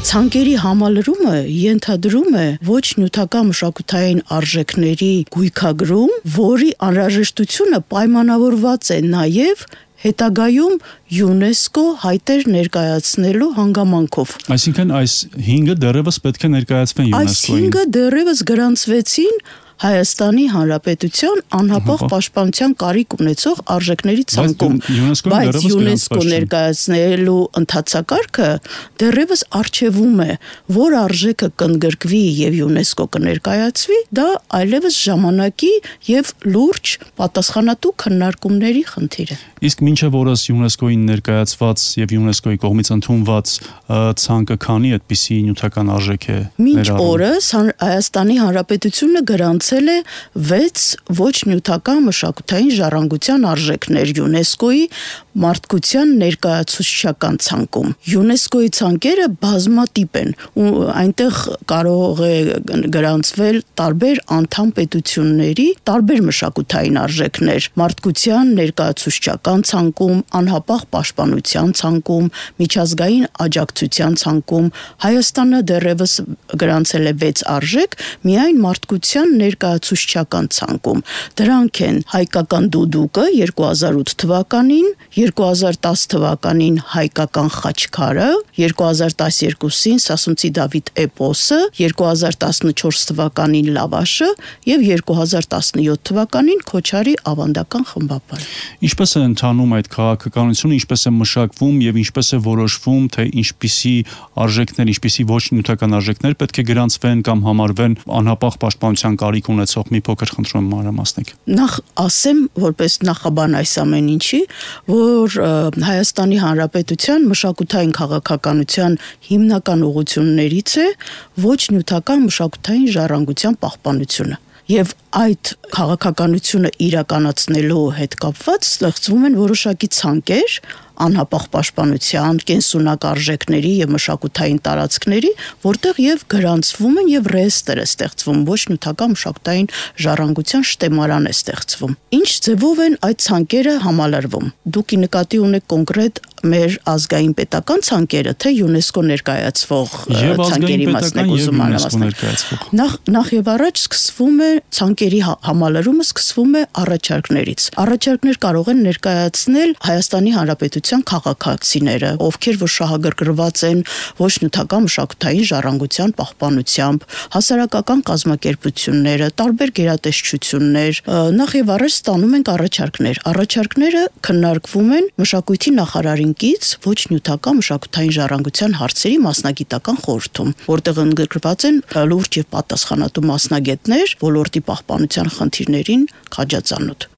Ցանկերի համալրումը ենթադրում է ոչ նյութական մշակութային արժեքների գույքագրում, որի անհրաժեշտությունը պայմանավորված է նաև հետագայում ՅՈՒՆԵՍԿՕ հայտեր ներկայացնելու հանգամանքով։ Այսինքն այս 5-ը դեռևս պետք է ներկայացվեն ՅՈՒՆԵՍԿՕ-ին։ Այս 5-ը դեռևս գրանցվեցին Հայաստանի Հանրապետության անհապաղ պաշտպանության կարիք ունեցող արժեքների ցանկում, բայց ՅՈՒՆԵՍԿՕ ներկայացնելու ընթացակարգը դեռևս արժևում է, որ արժեքը կընդգրկվի եւ ՅՈՒՆԵՍԿՕ կներկայացվի, դա այլևս ժամանակի եւ լուրջ պատասխանատու քննարկումների խնդիր է։ Իսկ մինչև օրս ՅՈՒՆԵՍԿՕ-ին ներկայացված եւ ՅՈՒՆԵՍԿՕ-ի կողմից ընդունված ցանկը քանի այդպիսի նյութական արժեք է ներառում։ Մինչ օրս Հայաստանի Հանրապետությունը գրանցել է 6 ոչ նյութական մշակութային ժառանգության արժեքներ ՅՈՒՆԵՍԿՕ-ի մարդկության ներկայացուցչական ցանկում։ ՅՈՒՆԵՍԿՕ-ի ցանկերը բազմատիպ են ու այնտեղ կարող է գրանցվել տարբեր անդամ պետությունների տարբեր մշակութային արժեքներ՝ մարդկության ներկայացուցչական ցանկում, անհապաղ պաշտպանության ցանկում, միջազգային աջակցության ցանկում։ Հայաստանը դեռևս գրանցել է 6 արժեք միայն մարդկության ներկայացուցչական ցանկում։ Դրանք են հայկական դուդուկը 2008 թվականին, 2010 թվականին հայկական խաչքարը, 2012-ին Սասունցի Դավիթ էպոսը, 2014 թվականին լավաշը եւ 2017 թվականին Քոչարի ավանդական խմբապարը։ Ինչպես է ընթանում այդ քաղաքականությունը, ինչպես է մշակվում եւ ինչպես է որոշվում, թե ինչպիսի արժեքներ, ինչպիսի ոչ նյութական արժեքներ պետք է գրանցվեն կամ համարվեն անհապաղ պաշտպանության կարիք ունեցող, մի փոքր խնդրում եմ մանրամասնեք։ Նախ ասեմ, որպես նախաբան այս ամեն ինչի, որ Հայաստանի Հանրապետության մշակութային քաղաքականության հիմնական ուղղություններից է ոչ նյութական մշակութային ժառանգության պահպանությունը։ Եվ այդ քաղաքականությունը իրականացնելու հետ կապված ստեղծվում են որոշակի ցանկեր անհապաղ պաշտպանության, կենսունակ արժեքների եւ մշակութային տարածքների, որտեղ եւ գրանցվում են եւ ռեեստր է ստեղծվում, ոչ նյութական մշակութային ժառանգության շտեմարան է ստեղծվում։ Ինչ ձևով են այդ ցանկերը համալրվում։ Դուք նկատի ունեք կոնկրետ մեր ազգային պետական ցանկերը, թե ՅՈՒՆԵՍԿՕ ներկայացվող ցանկերի մասն եք ուզում անհասկանալ։ Նախ եւ առաջ սկսվում է ցանկերի համալրումը սկսվում է առաջարկներից։ Առաջարկներ կարող են ներկայացնել Հայաստանի Հանրապետության քաղաքացիները, ովքեր որ շահագրգռված են ոչ նյութական մշակութային ժառանգության պահպանությամբ, հասարակական կազմակերպությունները, տարբեր գերատեսչություններ, նախ եւ առաջ ստանում են առաջարկներ։ Առաջարկները քննարկվում են մշակույթի նախարարին կից ոչ նյութական մշակութային ժառանգության հարցերի մասնագիտական խորհրդում, որտեղ ընդգրկված են լուրջ եւ պատասխանատու մասնագետներ ոլորտի պահպանության խնդիրներին քաջածանոթ։